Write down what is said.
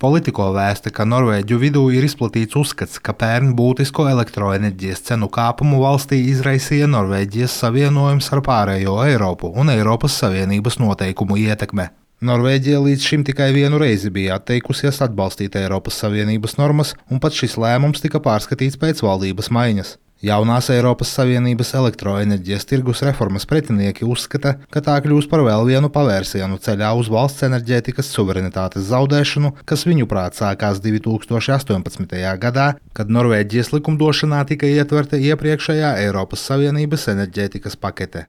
Politiko vēsta, ka Norvēģu vidū ir izplatīts uzskats, ka pērn būtisko elektroenerģijas cenu kāpumu valstī izraisīja Norvēģijas savienojums ar pārējo Eiropu un Eiropas Savienības noteikumu ietekme. Norvēģija līdz šim tikai vienu reizi bija atteikusies atbalstīt Eiropas Savienības normas, un pat šis lēmums tika pārskatīts pēc valdības maiņas. Jaunās Eiropas Savienības elektroenerģijas tirgus reformas pretinieki uzskata, ka tā kļūs par vēl vienu pavērsienu ceļā uz valsts enerģētikas suverenitātes zaudēšanu, kas viņuprāt sākās 2018. gadā, kad Norvēģijas likumdošanā tika ietverta iepriekšējā Eiropas Savienības enerģētikas pakete.